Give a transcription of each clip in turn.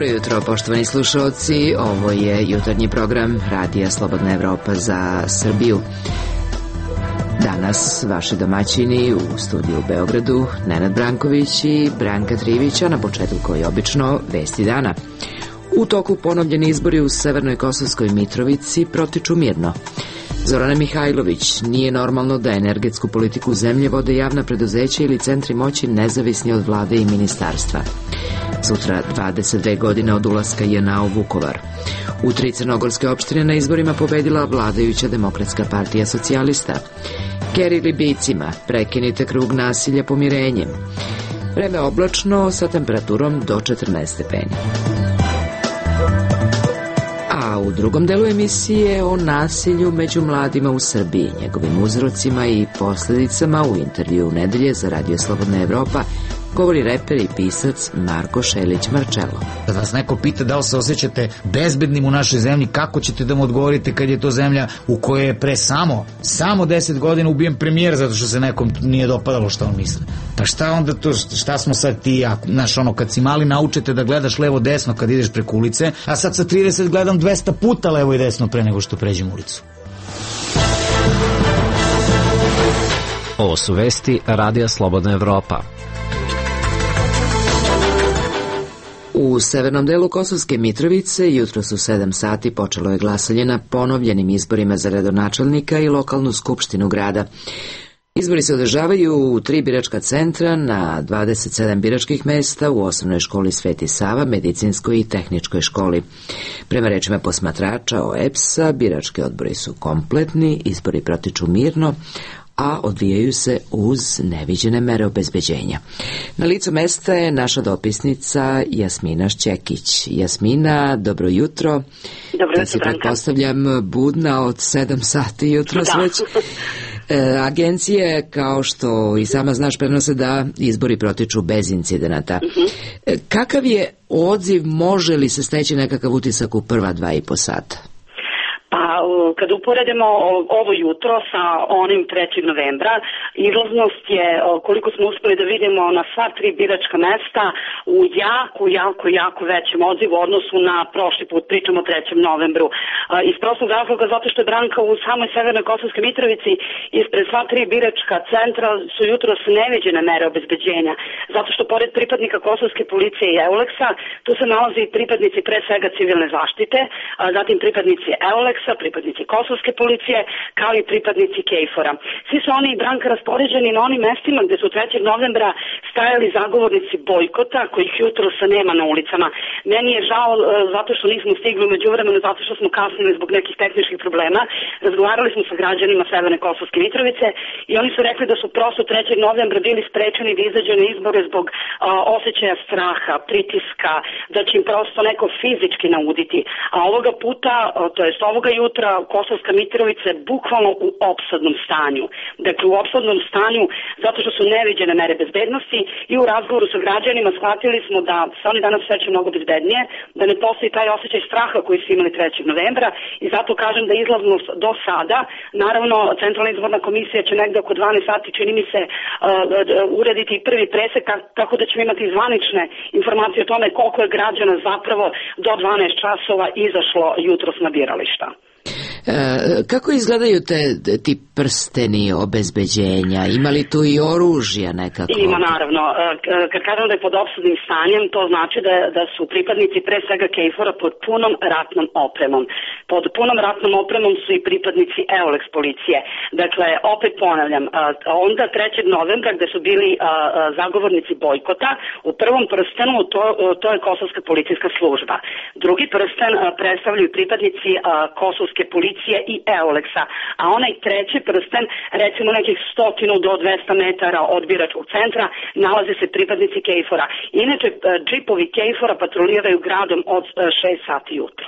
Dobro jutro, poštovani slušalci. Ovo je jutarnji program Radija Slobodna Evropa za Srbiju. Danas vaši domaćini u studiju u Beogradu, Nenad Branković i Branka Trivić, a na početku koji obično vesti dana. U toku ponovljeni izbori u Severnoj Kosovskoj Mitrovici protiču mirno. Zorana Mihajlović: nije normalno da energetsku politiku zemlje vode javna preduzeća ili centri moći nezavisni od vlade i ministarstva. Sutra 22 godine od ulaska JNA u Vukovar. U 3 crnogorske opštine na izborima pobedila vladajuća Demokratska partija socijalista. Keri Libijcima: prekinite krug nasilja pomirenjem. Vreme oblačno sa temperaturom do 14 stepeni. A u drugom delu emisije o nasilju među mladima u Srbiji, njegovim uzrocima i posljedicama u intervju nedelje za Radio Slobodna Evropa govori reper i pisac Marko Šelić-Marčelo. Kad vas neko pita da li se osjećate bezbednim u našoj zemlji, kako ćete da mu odgovorite kad je to zemlja u kojoj je pre samo 10 godina ubijen premijer zato što se nekom nije dopadalo šta on misle? Pa šta onda to, šta smo sad ti, znaš, ono, kad si mali naučete da gledaš levo desno kad ideš preko ulice, a sad sa 30 gledam 200 puta levo i desno pre nego što pređem ulicu. Ovo su vesti Radija Slobodna Evropa. U severnom delu Kosovske Mitrovice jutros u 7 sati počelo je glasanje na ponovljenim izborima za gradonačelnika i lokalnu skupštinu grada. Izbori se održavaju u 3 biračka centra na 27 biračkih mesta u osnovnoj školi Sveti Sava, medicinskoj i tehničkoj školi. Prema rečima posmatrača OEBS-a, birački odbori su kompletni, izbori protiču mirno, a odvijaju se uz neviđene mere obezbeđenja. Na licu mesta je naša dopisnica Jasmina Šćekić. Jasmina, dobro jutro. Dobro jutro, si pretpostavljam budna od 7 sati jutros već. Agencije, kao što i sama znaš, prenose da izbori protiču bez incidenata. Kakav je odziv, može li se steći nekakav utisak u prva 2,5 sata? Pa, kad uporedimo ovo jutro sa onim 3. novembra, izlaznost je, koliko smo uspeli da vidimo na sva 3 biračka mesta, u jako većem odzivu u odnosu na prošli put, pričamo o 3. novembru. Iz prostog razloga zato što je Branka u samoj Severnoj Kosovskoj Mitrovici ispred sva 3 biračka centra su jutros neviđene mere obezbeđenja. Zato što pored pripadnika Kosovske policije i EULEX-a, tu se nalazi pripadnici pre svega civilne zaštite, zatim pripadnici EULEX-a, pripadnici Kosovske policije, kao i pripadnici KFOR-a. Svi su oni, Branka, raspoređeni na onim mestima gde su 3. novembra stajali zagovornici bojkota, kojih jutros nema na ulicama. Meni je žao zato što nismo stigli u međuvremenu, zato što smo kasnili zbog nekih tehničkih problema. Razgovarali smo sa građanima Severne Kosovske Mitrovice i oni su rekli da su prosto 3. novembra bili sprečeni da izađu na izbore zbog osjećaja straha, pritiska, da će im prosto neko fizički nauditi. A ovoga puta, to jest ovoga jutra, Kosovska Mitrovica je bukvalno u opsadnom stanju. Dakle, u opsadnom stanju zato što su neviđene mere bezbednosti i u razgovoru sa građanima shvatili smo da se oni danas osjećaju mnogo bezbednije, da ne postoji taj osjećaj straha koji su imali 3. novembra i zato kažem da izlaznost do sada, naravno Centralna izborna komisija će negde oko 12 sati, čini mi se, urediti prvi presek, tako da ćemo imati zvanične informacije o tome koliko je građana zapravo do 12 časova izašlo jutros na birališta. Kako izgledaju ti prsteni obezbeđenja? Ima li tu i oružja nekako? Ima, naravno. Kad kažem da je pod opsadnim stanjem, to znači da su pripadnici pre svega KFOR-a pod punom ratnom opremom. Pod punom ratnom opremom su i pripadnici EULEX policije. Dakle, opet ponavljam, onda 3. novembra gde su bili zagovornici bojkota, u prvom prstenu to je Kosovska policijska služba. Drugi prsten predstavljaju pripadnici Kosovske policije i EULEX-a, a onaj 3. prsten, recimo nekih 100 do 200 metara od biračkog centra, nalaze se pripadnici KFOR-a. Inače, džipovi KFOR-a patroliraju gradom od 6 sati jutro.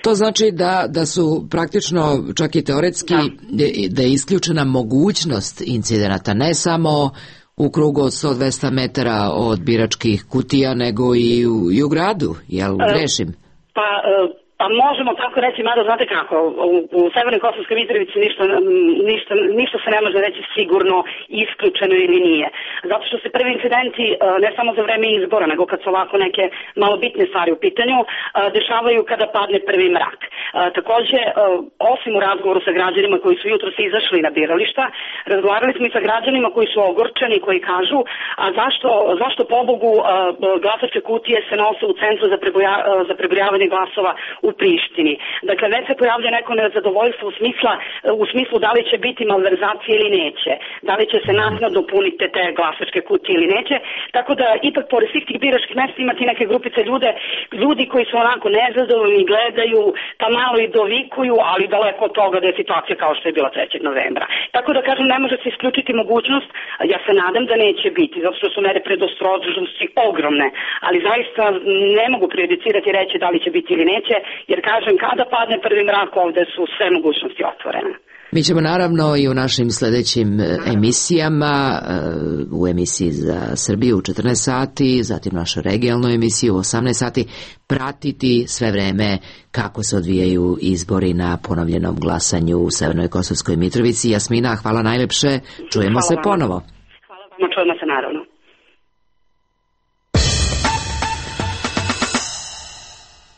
To znači da su praktično, čak i teoretski, da je isključena mogućnost incidenata, ne samo u krugu od 100-200 metara od biračkih kutija, nego i u gradu, jel grešim? Pa Pa možemo tako reći, mada znate kako, u Severnoj Kosovskoj Mitrovici ništa se ne može reći sigurno, isključeno ili nije. Zato što se prvi incidenti, ne samo za vreme izbora, nego kad su ovako neke malo bitne stvari u pitanju, dešavaju kada padne prvi mrak. Takođe, osim u razgovoru sa građanima koji su jutros izašli na birališta, razgovarali smo i sa građanima koji su ogorčeni, koji kažu, a zašto pobogu glasačke kutije se nose u centru za prebrojavanje glasova u Prištini. Dakle, već se pojavlja neko nezadovoljstvo u smislu da li će biti malverzacije ili neće, da li će se naknadno puniti te glasačke kutije ili neće, tako da ipak pored svih tih biračkih mesta imati neke grupice ljudi koji su onako nezadovoljni, gledaju, pa malo i dovikuju, ali daleko od toga da je situacija kao što je bila 3. novembra. Tako da kažem, ne može se isključiti mogućnost, ja se nadam da neće biti, zato što su mere predostrožnosti ogromne, ali zaista ne mogu prejudicirati i reći da li će biti ili neće, jer kažem, kada padne prvi mrak, ovde su sve mogućnosti otvorene. Mi ćemo naravno i u našim sledećim emisijama, u emisiji za Srbiju u 14 sati, zatim našu regionalnu emisiju u 18 sati, pratiti sve vreme kako se odvijaju izbori na ponovljenom glasanju u Severnoj Kosovskoj Mitrovici. Jasmina, hvala najlepše, čujemo se ponovo. Hvala vam, čujemo se naravno.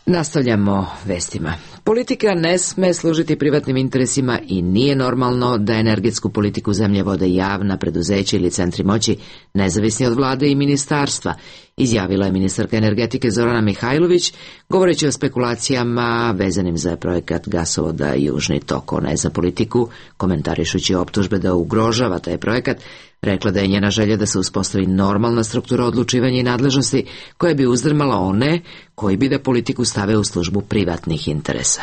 Nastavljamo vestima. Politika ne sme služiti privatnim interesima i nije normalno da energetsku politiku zemlje vode javna preduzeća ili centri moći nezavisni od vlade i ministarstva, izjavila je ministarka energetike Zorana Mihajlović, govoreći o spekulacijama vezanim za projekat gasovoda Južni tok. Ona je za politiku, komentarišući optužbe da ugrožava taj projekat, rekla da je njena želja da se uspostavi normalna struktura odlučivanja i nadležnosti koja bi uzdrmala one koji bi da politiku stave u službu privatnih interesa.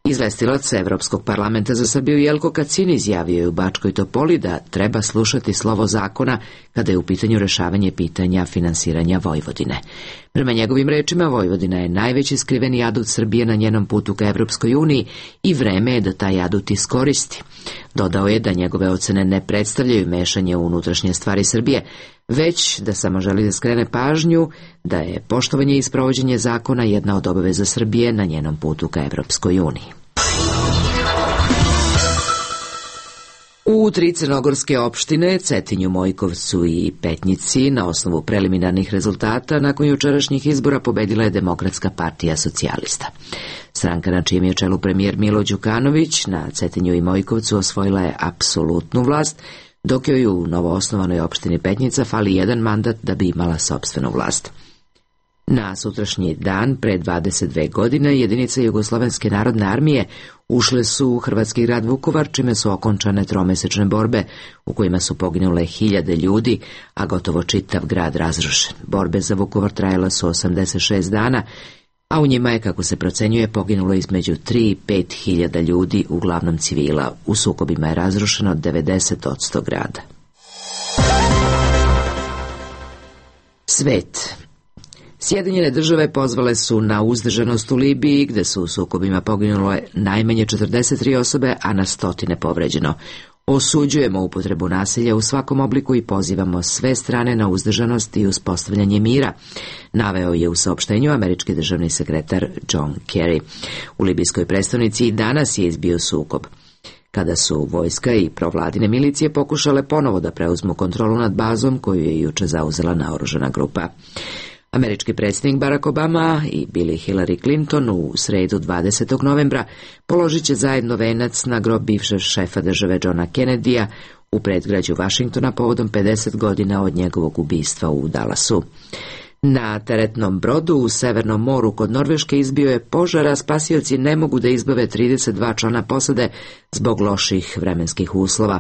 Izvestilac Evropskog parlamenta za Srbiju Jelko Kacin izjavio je u Bačkoj Topoli da treba slušati slovo zakona kada je u pitanju rešavanje pitanja finansiranja Vojvodine. Prema njegovim rečima, Vojvodina je najveći skriveni adut Srbije na njenom putu ka Evropskoj uniji i vreme je da taj adut iskoristi. Dodao je da njegove ocene ne predstavljaju mešanje u unutrašnje stvari Srbije, već da samo želi da skrene pažnju da je poštovanje i sprovođenje zakona jedna od obaveza Srbije na njenom putu ka Evropskoj uniji. U 3 crnogorske opštine, Cetinju, Mojkovcu i Petnici, na osnovu preliminarnih rezultata, nakon jučerašnjih izbora pobedila je Demokratska partija socijalista. Stranka na čijem je čelu premijer Milo Đukanović na Cetinju i Mojkovcu osvojila je apsolutnu vlast, dok joj u novoosnovanoj opštini Petnica fali jedan mandat da bi imala sopstvenu vlast. Na sutrašnji dan, pre 22 godine, jedinice Jugoslovenske narodne armije ušle su u hrvatski grad Vukovar, čime su okončane tromesečne borbe u kojima su poginule 1000 ljudi, a gotovo čitav grad razrušen. Borbe za Vukovar trajale su 86 dana, a u njima je, kako se procenjuje, poginulo između 3 i 5 hiljada ljudi, uglavnom civila. U sukobima je razrušeno 90% grada. Svet. Sjedinjene države pozvale su na uzdržanost u Libiji, gde su u sukobima poginulo najmanje 43 osobe, a na stotine povređeno. Osuđujemo upotrebu nasilja u svakom obliku i pozivamo sve strane na uzdržanost i uspostavljanje mira, naveo je u saopštenju američki državni sekretar John Kerry. U libijskoj prestonici i danas je izbio sukob, kada su vojska i provladine milicije pokušale ponovo da preuzmu kontrolu nad bazom koju je juče zauzela naoružana grupa. Američki predsjednik Barack Obama i Billy Hillary Clinton u sredu 20. novembra položit će zajedno venac na grob bivšeg šefa države Johna Kennedya u predgrađu Vašingtona povodom 50 godina od njegovog ubistva u Dallasu. Na teretnom brodu u Severnom moru kod Norveške izbio je požar, a spasioci ne mogu da izbave 32 člana posade zbog loših vremenskih uslova.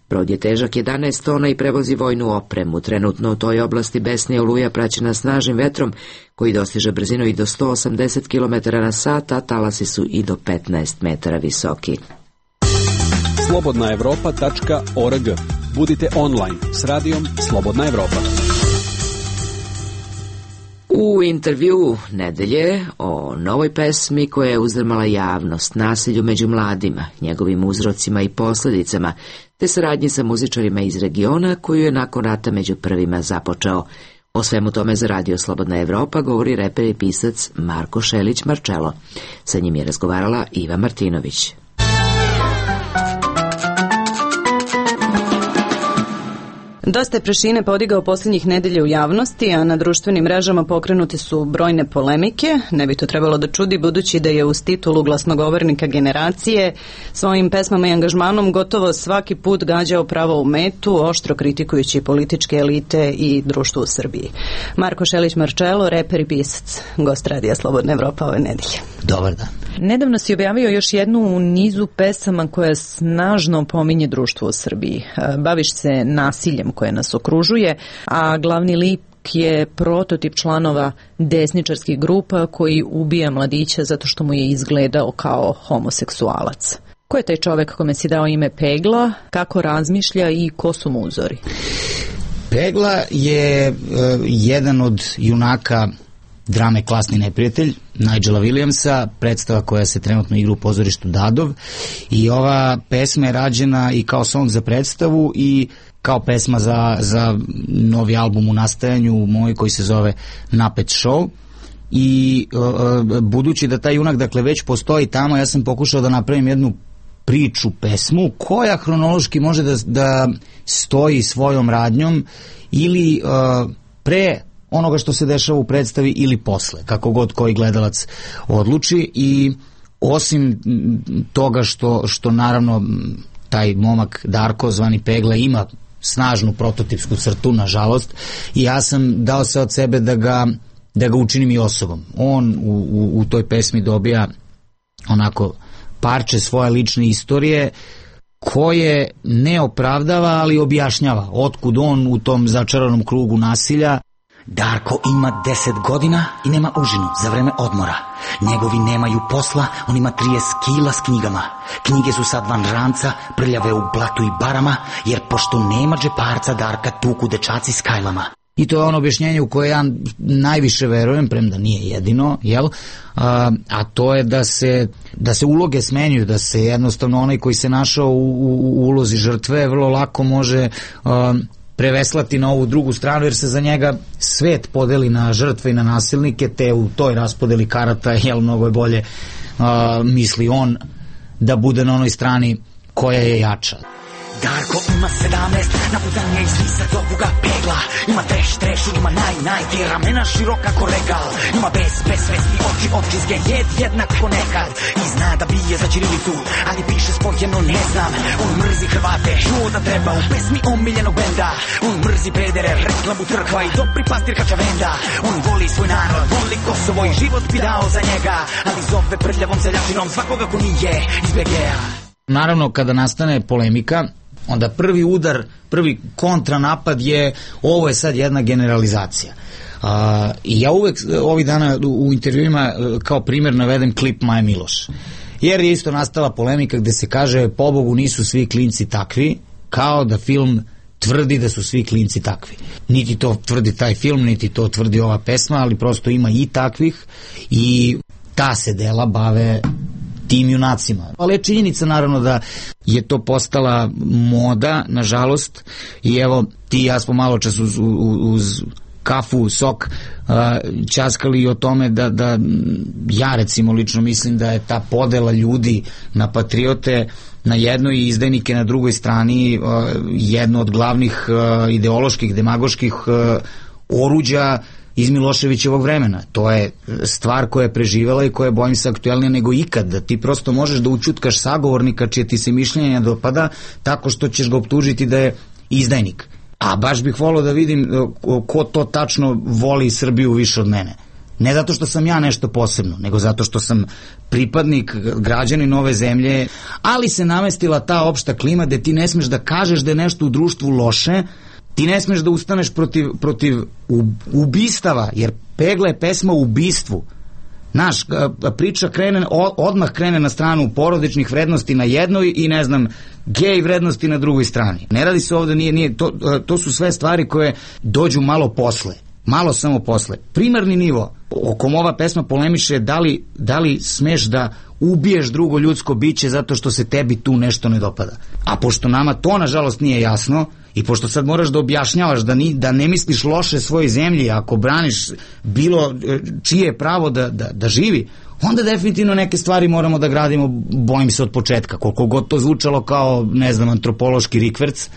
Brod je težak 11 tona i prevozi vojnu opremu. Trenutno u toj oblasti besne oluja praćena snažnim vetrom koji dostiže brzinu i do 180 km na sat, a talasi su i do 15 metara visoki. Slobodnaevropa.org. Budite online s radijom Slobodna Evropa. U intervju nedelje o novoj pesmi koja je uzdrmala javnost, nasilju među mladima, njegovim uzrocima i posljedicama, te saradnji sa muzičarima iz regiona koju je nakon rata među prvima započeo. O svemu tome za Radio Slobodna Evropa govori reper i pisac Marko Šelić Marčelo. Sa njim je razgovarala Iva Martinović. Dosta je prašine podigao posljednjih nedelja u javnosti, a na društvenim mrežama pokrenute su brojne polemike. Ne bi to trebalo da čudi, budući da je uz titulu glasnogovornika generacije svojim pesmama i angažmanom gotovo svaki put gađao pravo u metu, oštro kritikujući političke elite i društvo u Srbiji. Marko Šelić Marčelo, reper i pisac, gost Radija Slobodna Evropa ove nedelje. Dobar dan. Nedavno si objavio još jednu u nizu pesama koja snažno pominje društvo u Srbiji. Baviš se nasiljem koje nas okružuje, a glavni lik je prototip članova desničarskih grupa koji ubija mladića zato što mu je izgledao kao homoseksualac. Ko je taj čovek kome si dao ime Pegla, kako razmišlja i ko su mu uzori? Pegla je jedan od junaka drame Klasni neprijatelj Nigela Williamsa, predstava koja se trenutno igra u pozorištu Dadov, i ova pesma je rađena i kao song za predstavu i kao pesma za novi album u nastajanju moj koji se zove Napet Show. I budući da taj junak dakle već postoji tamo, ja sam pokušao da napravim jednu priču, pesmu koja hronološki može da stoji svojom radnjom ili pre onoga što se dešava u predstavi ili posle, kako god koji gledalac odluči. I osim toga što naravno taj momak Darko zvani Pegla ima snažnu prototipsku crtu, nažalost, i ja sam dao se od sebe da ga učinim i osobom. On u toj pesmi dobija onako parče svoje lične istorije koje ne opravdava, ali objašnjava otkud on u tom začaranom krugu nasilja. Darko ima 10 godina i nema užinu za vreme odmora. Njegovi nemaju posla, on ima 30 kila s knjigama. Knjige su sad van ranca, prljave u blatu i barama, jer pošto nema džeparca, Darka tuku dečaci s kajlama. I to je ono objašnjenje u koje ja najviše verujem, premda nije jedino, jel? A to je da se uloge smenjuju, da se jednostavno onaj koji se našao u ulozi žrtve vrlo lako može preveslati na ovu drugu stranu, jer se za njega svet podeli na žrtve i na nasilnike, te u toj raspodeli karata, jel, mnogo je bolje, misli on, da bude na onoj strani koja je jača. Darko ima 17, naputan je iz lisa do kuga Pegla. Ima treš, ima naj, ramena široka ko regal. Ima bez svesti oči, očizge, jednako nekad. I zna da bije za ćirilicu, ali piše spojeno ne znam. On mrzi Hrvate, čuo da treba u pesmi omiljenog benda. On mrzi pedere, reklamu crkva i dobri pastir Kačavenda. On voli svoj narod, voli Kosovo i život bi dao za njega, ali zove prljavom seljačinom svakoga ko nije iz BG-a. Naravno, kada nastane polemika, onda prvi udar, prvi kontranapad je ovo je sad jedna generalizacija. I ja uvek ovih dana u intervjuima kao primjer navedem klip Maje Miloš. Jer je isto nastala polemika gde se kaže pobogu nisu svi klinci takvi, kao da film tvrdi da su svi klinci takvi. Niti to tvrdi taj film, niti to tvrdi ova pesma, ali prosto ima i takvih i ta se dela bave tim junacima. Ali je činjenica naravno da je to postala moda, nažalost, i evo ti i ja smo malo čas uz kafu, sok ćaskali o tome da ja recimo lično mislim da je ta podela ljudi na patriote na jednoj i izdajnike na drugoj strani jedno od glavnih ideoloških, demagoških oruđa iz Miloševićevog vremena. To je stvar koja je preživela i koja je, bojim se, aktuelnija nego ikad, da ti prosto možeš da učutkaš sagovornika čije ti se mišljenje ne dopada tako što ćeš ga optužiti da je izdajnik. A baš bih volio da vidim ko to tačno voli Srbiju više od mene. Ne zato što sam ja nešto posebno, nego zato što sam pripadnik, građanin ove zemlje, ali se namestila ta opšta klima gde ti ne smeš da kažeš da je nešto u društvu loše, ti ne smeš da ustaneš protiv ubistava, jer Pegla je pesma o ubistvu. Naš priča odmah krene na stranu porodičnih vrednosti na jednoj i ne znam, gej vrednosti na drugoj strani. Ne radi se ovde, to su sve stvari koje dođu malo posle. Malo samo posle. Primarni nivo o kom ova pesma polemiše da li smeš da ubiješ drugo ljudsko biće zato što se tebi tu nešto ne dopada. A pošto nama to nažalost nije jasno I pošto sad moraš da objašnjavaš da ne misliš loše svojoj zemlji, ako braniš bilo čije pravo da živi, onda definitivno neke stvari moramo da gradimo, bojim se, od početka. Koliko god to zvučalo kao, ne znam, antropološki rikverc,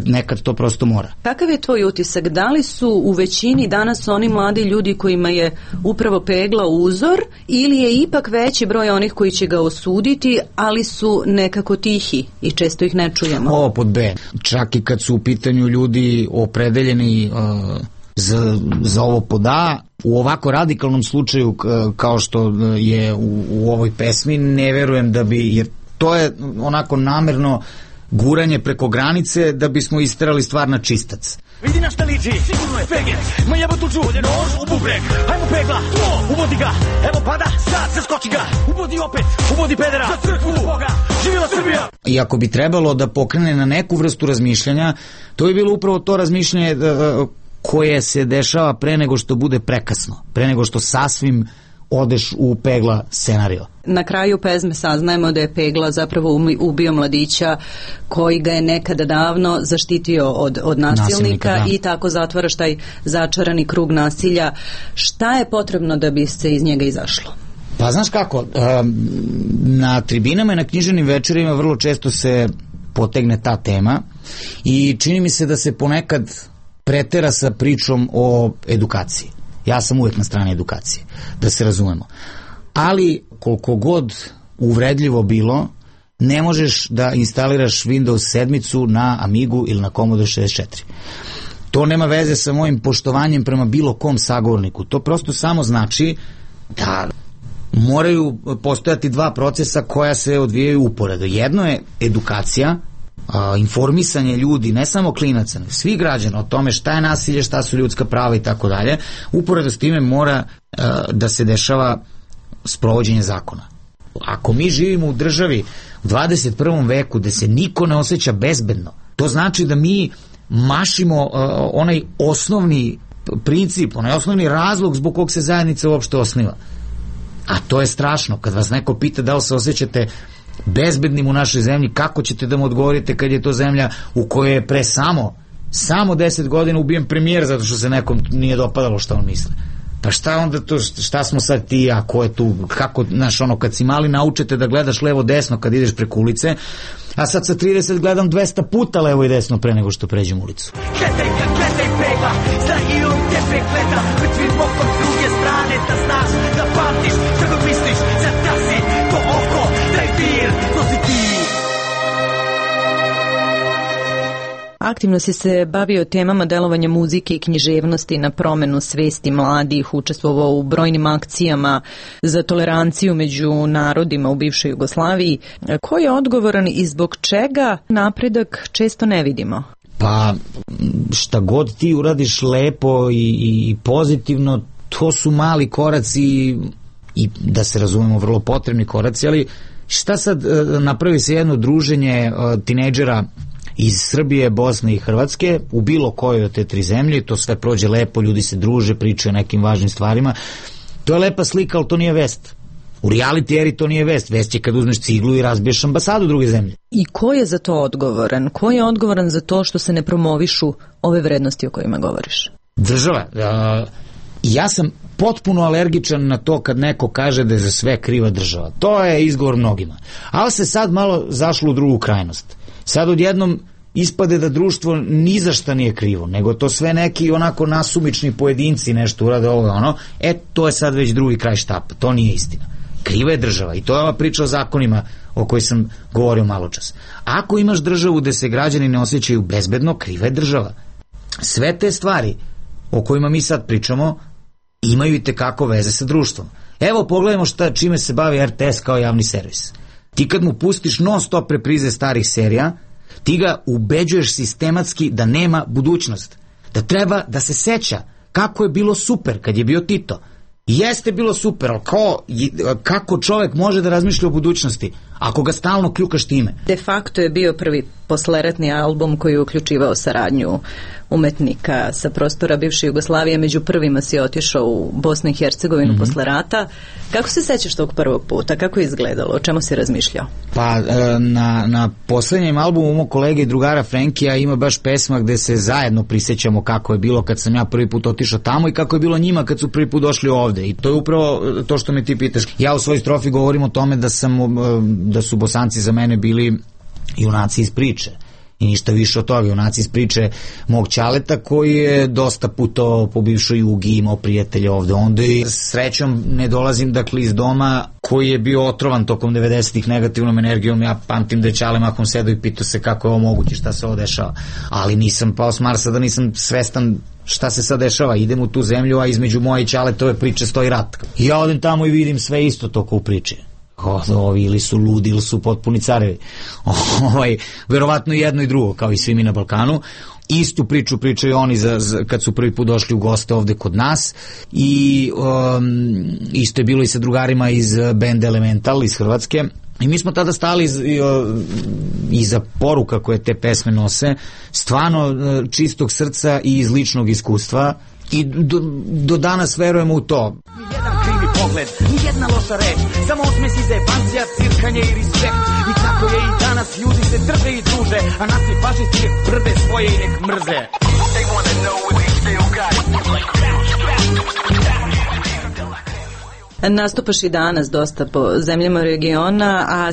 nekad to prosto mora. Kakav je tvoj utisak? Da li su u većini danas oni mladi ljudi kojima je upravo pegla uzor, ili je ipak veći broj onih koji će ga osuditi, ali su nekako tihi i često ih ne čujemo? Ovo pod B. Čak i kad su u pitanju ljudi opredeljeni za ovo pod A, u ovako radikalnom slučaju kao što je u ovoj pesmi, ne verujem da bi, jer to je onako namerno guranje preko granice da bismo isterali stvar na čistac. Vidi na šta liči, sigurno je Fegeć. Ma jebo tu čuđe, nož u bubreg. Hajmo pegla, uvodi ga. Evo pada, sad se skoči ga. Uvodi opet, uvodi pedera. Za crkvu Boga, živjela Srbija. I ako bi trebalo da pokrene na neku vrstu razmišljanja, to je bilo upravo to razmišljanje koje se dešava pre nego što bude prekasno, pre nego što sasvim odeš u pegla scenario. Na kraju pesme saznajemo da je Pegla zapravo ubio mladića koji ga je nekada davno zaštitio od nasilnika i tako zatvaraš taj začarani krug nasilja. Šta je potrebno da bi se iz njega izašlo? Pa znaš kako, na tribinama i na književnim večerima vrlo često se potegne ta tema i čini mi se da se ponekad pretera sa pričom o edukaciji. Ja sam uvek na strani edukacije, da se razumemo. Ali koliko god uvredljivo bilo, ne možeš da instaliraš Windows 7 na Amigu ili na Commodore 64. To nema veze sa mojim poštovanjem prema bilo kom sagovorniku. To prosto samo znači da moraju postojati dva procesa koja se odvijaju uporedo. Jedno je edukacija, informisanje ljudi, ne samo klinaca, svih građana o tome šta je nasilje, šta su ljudska prava i tako dalje. Uporedo s time mora da se dešava sprovođenje zakona. Ako mi živimo u državi u 21. veku gde se niko ne osjeća bezbedno, to znači da mi mašimo onaj osnovni princip, onaj osnovni razlog zbog kog se zajednica uopšte osniva. A to je strašno. Kad vas neko pita da li se osjećate bezbednim u našoj zemlji, kako ćete da mu odgovorite kad je to zemlja u kojoj je pre samo 10 godina ubijen premijer zato što se nekom nije dopadalo šta on misle. Pa šta onda to, šta smo sad ti, a ko je tu, kako, znaš, ono, kad si mali naučete da gledaš levo desno kad ideš preko ulice, a sad sa 30 gledam 200 puta levo i desno pre nego što pređem ulicu. Gledaj Pegla, zna i on tebe gleda, mrtvim okom s druge strane, da znaš, da pamtiš, šta god misliš, zatasi to oko, daj dir, nosi ti. Aktivno si se bavio temama delovanja muzike i književnosti na promenu svesti mladih, učestvovao u brojnim akcijama za toleranciju među narodima u bivšoj Jugoslaviji. Ko je odgovoran i zbog čega napredak često ne vidimo? Pa šta god ti uradiš lepo i pozitivno, to su mali koraci i da se razumemo vrlo potrebni koraci, ali šta sad napravi se jedno druženje tinejdžera iz Srbije, Bosne i Hrvatske u bilo kojoj od te tri zemlje, to sve prođe lepo, ljudi se druže, pričaju o nekim važnim stvarima, to je lepa slika, ali to nije vest. U reality eri to nije vest. Vest je kad uzmeš ciglu i razbiješ ambasadu druge zemlje. I ko je za to odgovoran? Ko je odgovoran za to što se ne promovišu ove vrednosti o kojima govoriš? Država. Ja sam potpuno alergičan na to kad neko kaže da je za sve kriva država. To je izgovor mnogima. Ali se sad malo zašlo u drugu krajnost. Sad odjednom ispade da društvo ni za šta nije krivo, nego to sve neki onako nasumični pojedinci nešto urade ovo ono, to je sad već drugi kraj štapa, to nije istina. Kriva je država i to je ova priča o zakonima o kojoj sam govorio malo čas. Ako imaš državu gde se građani ne osjećaju bezbedno, kriva je država. Sve te stvari o kojima mi sad pričamo imaju i tekako veze sa društvom. Evo pogledajmo čime se bavi RTS kao javni servis. Ti kad mu pustiš non stop reprize starih serija, ti ga ubeđuješ sistematski da nema budućnost, da treba da se seća kako je bilo super kad je bio Tito. Jeste bilo super, ali kako čovek može da razmišlja o budućnosti ako ga stalno kljukaš time. De facto je bio prvi posleratni album koji je uključivao saradnju umetnika sa prostora bivše Jugoslavije. Među prvima si otišao u Bosnu i Hercegovinu posle rata. Kako se sećaš tog prvog puta? Kako je izgledalo? O čemu si razmišljao? Pa na poslednjem albumu mog kolege i drugara Frenkija ima baš pesma gde se zajedno prisećamo kako je bilo kad sam ja prvi put otišao tamo i kako je bilo njima kad su prvi put došli ovde. I to je upravo to što me ti pitaš. Ja u svojoj strofi govorim o tome da su Bosanci za mene bili junaci iz priče. I ništa više od toga, junaci iz priče mog ćaleta koji je dosta putovao po bivšoj Jugi, imao prijatelje ovde. Onda i srećom ne dolazim dakle iz doma koji je bio otrovan tokom 90-ih negativnom energijom. Ja pamtim da je Ćale mahom sedao i pitao se kako je ovo moguće, šta se ovo dešava. Ali nisam pao s Marsa da nisam svestan šta se sad dešava. Idem u tu zemlju, a između moje i Ćaletove priče stoji rat. I ja odem tamo i vidim sve isto toko u priči. Ovi ili su ludi ili su potpuni carevi. Verovatno jedno i drugo, kao i svi mi na Balkanu. Istu priču pričaju oni kad su prvi put došli u goste ovde kod nas i isto je bilo i sa drugarima iz benda Elemental iz Hrvatske. I mi smo tada stali iza poruka koje te pesme nose, stvarno čistog srca i iz ličnog iskustva. I do danas verujemo u to. Nijedan krivi pogled, nijedna loša reč, samo osmesi zebancija, cirkanje i respekt. I tako je i danas, ljudi se drže i druže, a nas i fašisti nek brde svoje i nek mrze. Nastupaš i danas dosta po zemljama regiona, a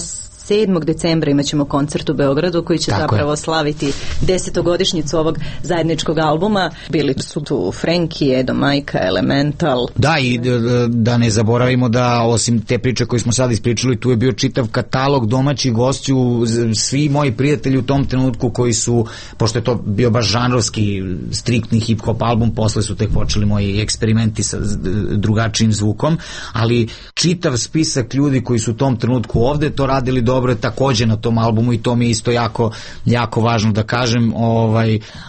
7. decembra imat ćemo koncert u Beogradu koji će zapravo slaviti 10-godišnjicu ovog zajedničkog albuma. Bili su tu Frenki, Edo Majka, Elemental. Da, i da ne zaboravimo da osim te priče koje smo sad ispričali, tu je bio čitav katalog domaćih gostiju, svi moji prijatelji u tom trenutku koji su, pošto je to bio baš žanrovski, striktni hip-hop album, posle su tek počeli moji eksperimenti sa drugačijim zvukom, ali čitav spisak ljudi koji su u tom trenutku ovde to radili dobro je takođe na tom albumu i to mi je isto jako važno da kažem,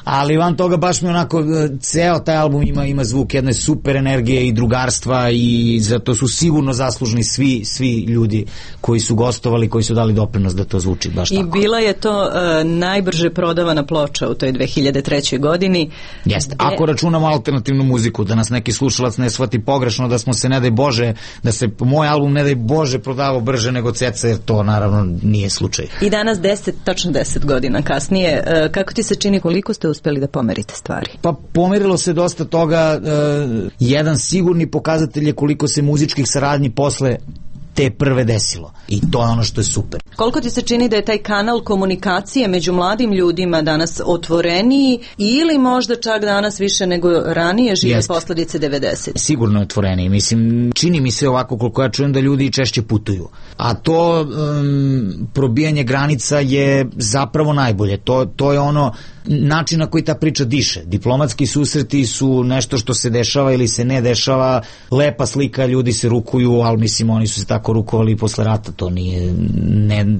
ali van toga baš mi onako ceo taj album ima zvuk jedne super energije i drugarstva i zato su sigurno zaslužni svi ljudi koji su gostovali, koji su dali doprinos da to zvuči baš tako. I bila je to najbrže prodavana ploča u toj 2003. godini. Jeste, ako računamo alternativnu muziku, da nas neki slušalac ne shvati pogrešno, da smo se ne daj Bože, da se moj album ne daj Bože prodavao brže nego Ceca, jer to naravno nije slučaj. I danas tačno 10 godina kasnije, kako ti se čini, koliko ste uspeli da pomerite stvari? Pa pomerilo se dosta toga, jedan sigurni pokazatelj je koliko se muzičkih saradnji posle te prve desilo. I to je ono što je super. Koliko ti se čini da je taj kanal komunikacije među mladim ljudima danas otvoreniji ili možda čak danas više nego ranije žive posledice 90? Sigurno je otvoreniji. Mislim, čini mi se ovako koliko ja čujem da ljudi češće putuju. A to probijanje granica je zapravo najbolje. To je ono način na koji ta priča diše. Diplomatski susreti su nešto što se dešava ili se ne dešava, lepa slika, ljudi se rukuju, ali mislim oni su se tako rukovali posle rata, to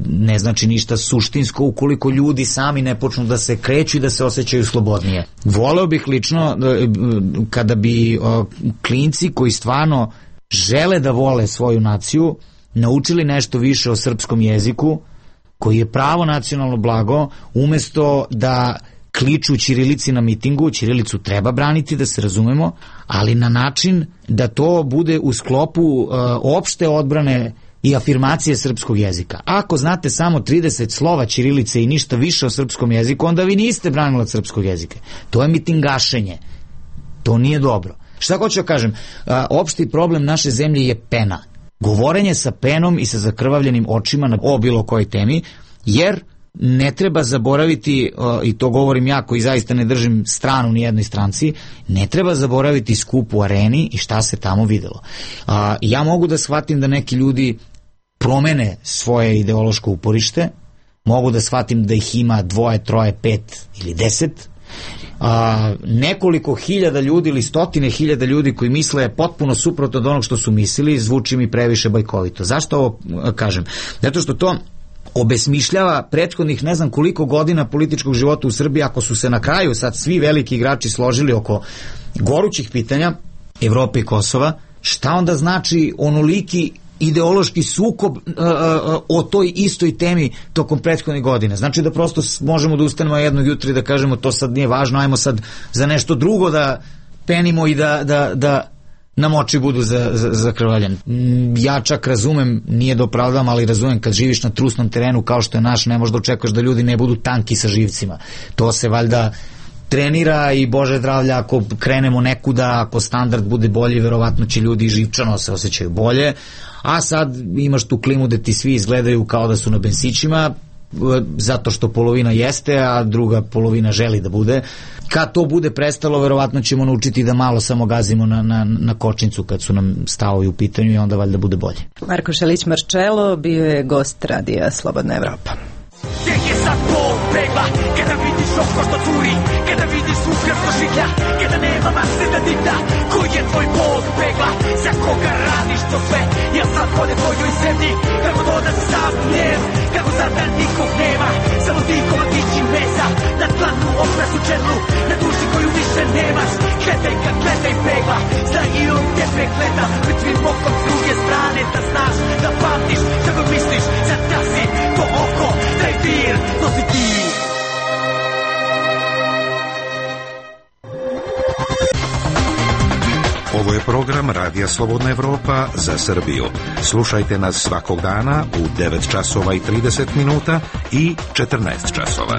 ne znači ništa suštinsko ukoliko ljudi sami ne počnu da se kreću i da se osjećaju slobodnije. Voleo bih lično kada bi klinci koji stvarno žele da vole svoju naciju naučili nešto više o srpskom jeziku koji je pravo nacionalno blago, umesto da kliču ćirilici na mitingu. Ćirilicu treba braniti, da se razumemo, ali na način da to bude u sklopu opšte odbrane i afirmacije srpskog jezika. Ako znate samo 30 slova ćirilice i ništa više o srpskom jeziku, onda vi niste branilac srpskog jezika. To je mitingašenje. To nije dobro. Šta hoću da kažem? Opšti problem naše zemlje je pena. Govorenje sa penom i sa zakrvavljenim očima o bilo kojoj temi, jer ne treba zaboraviti, i to govorim ja koji zaista ne držim stranu ni jednoj stranci, ne treba zaboraviti skup u Areni i šta se tamo videlo. Ja mogu da shvatim da neki ljudi promene svoje ideološko uporište, mogu da shvatim da ih ima 2, 3, 5 ili 10, nekoliko hiljada ljudi ili stotine hiljada ljudi koji misle potpuno suprotno od onog što su mislili, zvuči mi previše bajkovito. Zašto ovo kažem? Zato što to obesmišljava prethodnih ne znam koliko godina političkog života u Srbiji. Ako su se na kraju sad svi veliki igrači složili oko gorućih pitanja Evrope i Kosova, šta onda znači onoliki ideološki sukob o toj istoj temi tokom prethodnih godine. Znači da prosto možemo da ustanemo jednog jutra i da kažemo to sad nije važno, ajmo sad za nešto drugo da penimo i da nam oči budu zakrvavljene. Ja čak razumem, nije da opravdam, ali razumem kad živiš na trusnom terenu kao što je naš, ne možda očekuješ da ljudi ne budu tanki sa živcima. To se valjda trenira i Bože zdravlja, ako krenemo nekuda, ako standard bude bolji, verovatno će ljudi živčano se osjećaju bolje, a sad imaš tu klimu da ti svi izgledaju kao da su na bensićima, zato što polovina jeste, a druga polovina želi da bude. Kad to bude prestalo, verovatno ćemo naučiti da malo samo gazimo na kočnicu kad su nam stavovi u pitanju i onda valjda bude bolje. Marko Šelić-Marčelo bio je gost radija Slobodna Evropa. Gdje je sad bol pegla, kada vidiš oko što curi, kada vidiš ukras što šiklja, kada nema mase da dita, koji je tvoj bol pegla, za koga radiš to sve, jel sad vode tvojoj zemlji, kako to da si sam njen, kako sad da nikog nema, samo ti komadići mesa, na tlanu oprasu čedlu, na duši koju više nemaš, gledaj kad gledaj pegla, zna i on te pregleda, pred svim okom s druge strane, da znaš, da pamtiš, kako misliš, sad da si to oko, taj vir, to si ti. Ovo je program Radija Slobodna Evropa za Srbiju. Slušajte nas svakog dana u 9 časova i 30 minuta i 14 časova.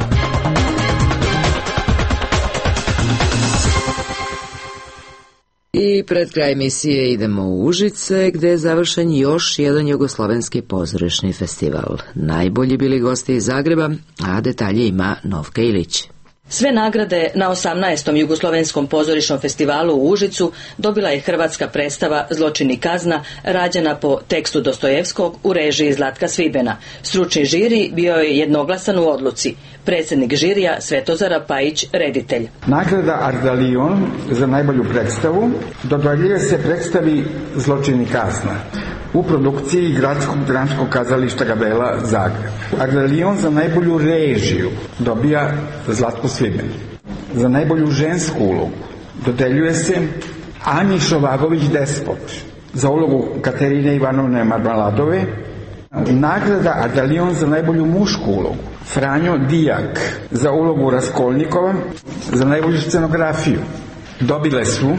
I pred kraj emisije idemo u Užice, gde je završen još jedan jugoslovenski pozorišni festival. Najbolji bili gosti iz Zagreba, a detalje ima Novka Ilić. Sve nagrade na 18. jugoslovenskom pozorišnom festivalu u Užicu dobila je hrvatska predstava Zločin i kazna, rađena po tekstu Dostojevskog u režiji Zlatka Svibena. Stručni žiri bio je jednoglasan u odluci. Predsjednik žirija Svetozar Pajić, reditelj. Nagrada Ardalion za najbolju predstavu dodjeljuje se predstavi Zločin i kazna u produkciji Gradskog dramskog kazališta Gabela Zagreb. Ardalion za najbolju režiju dobija Zlatko Sviben. Za najbolju žensku ulogu dodeljuje se Anji Šovagović Despot za ulogu Katerine Ivanovne Marmaladove. Nagrada Ardalion za najbolju mušku ulogu Franjo Dijak za ulogu Raskolnikova za najbolju scenografiju dobile su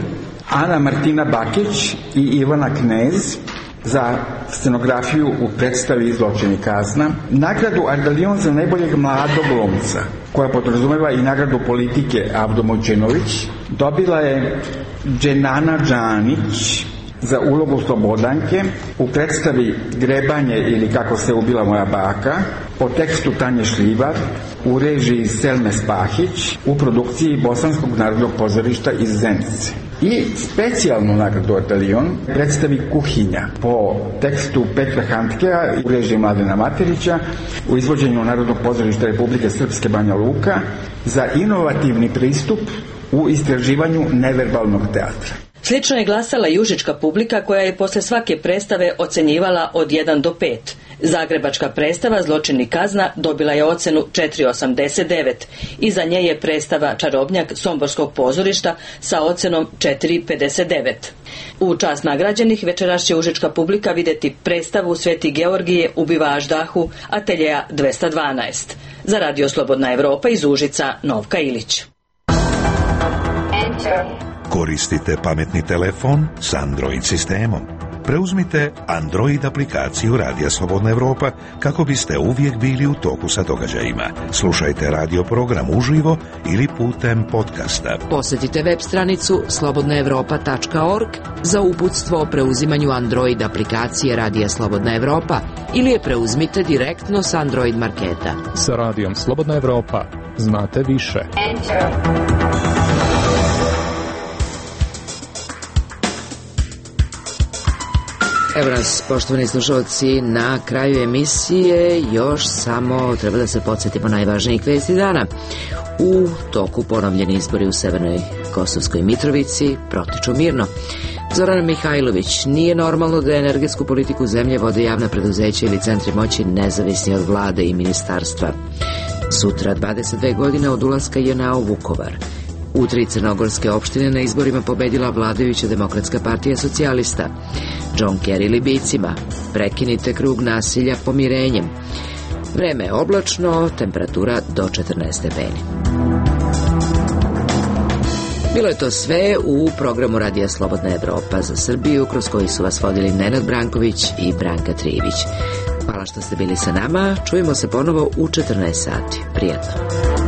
Ana Martina Bakić i Ivana Knez za scenografiju u predstavi Zločin i kazna. Nagradu Ardalion za najboljeg mladog glumca, koja podrazumeva i nagradu politike Avdo Mojčinović, dobila je Dženana Džanić za ulogu Slobodanke u predstavi Grebanje ili Kako se ubila moja baka, po tekstu Tanje Šljivar, u režiji Selme Spahić, u produkciji Bosanskog narodnog pozorišta iz Zenice. I specijalnu nagradu Ardalion predstavi Kuhinja po tekstu Petra Handkea u režiji Mladena Materića, u izvođenju Narodnog pozorišta Republike Srpske Banja Luka za inovativni pristup u istraživanju neverbalnog teatra. Slično je glasala i užička publika koja je posle svake predstave ocenjivala od 1 do 5. Zagrebačka predstava Zločin i kazna dobila je ocenu 4,89. Iza nje je predstava Čarobnjak Somborskog pozorišta sa ocenom 4,59. U čast nagrađenih večeras će užička publika vidjeti predstavu Sveti Georgije ubiva Aždahu Ateljeja 212. Za Radio Slobodna Evropa iz Užica, Novka Ilić. Koristite pametni telefon s Android sistemom. Preuzmite Android aplikaciju Radija Slobodna Evropa kako biste uvijek bili u toku sa događajima. Slušajte radio program uživo ili putem podcasta. Posjetite web stranicu slobodnaevropa.org za uputstvo o preuzimanju Android aplikacije Radija Slobodna Evropa ili je preuzmite direktno s Android marketa. Sa Radijom Slobodna Evropa znate više. Evo nas, poštovani slušalci, na kraju emisije još samo treba da se podsjetimo najvažnijih vesti dana. U toku ponovljeni izbori u Severnoj Kosovskoj Mitrovici protiču mirno. Zoran Mihajlović: nije normalno da energetsku politiku zemlje vode javna preduzeća ili centri moći nezavisni od vlade i ministarstva. Sutra 22 godine od ulaska JNA u Vukovar. U 3 crnogorske opštine na izborima pobedila vladajuća Demokratska partija socijalista. John Kerry Libijcima. Prekinite krug nasilja pomirenjem. Vreme je oblačno, temperatura do 14 stepeni. Bilo je to sve u programu Radija Slobodna Evropa za Srbiju, kroz koji su vas vodili Nenad Branković i Branka Trijević. Hvala što ste bili sa nama, čujemo se ponovo u 14 sati. Prijatno.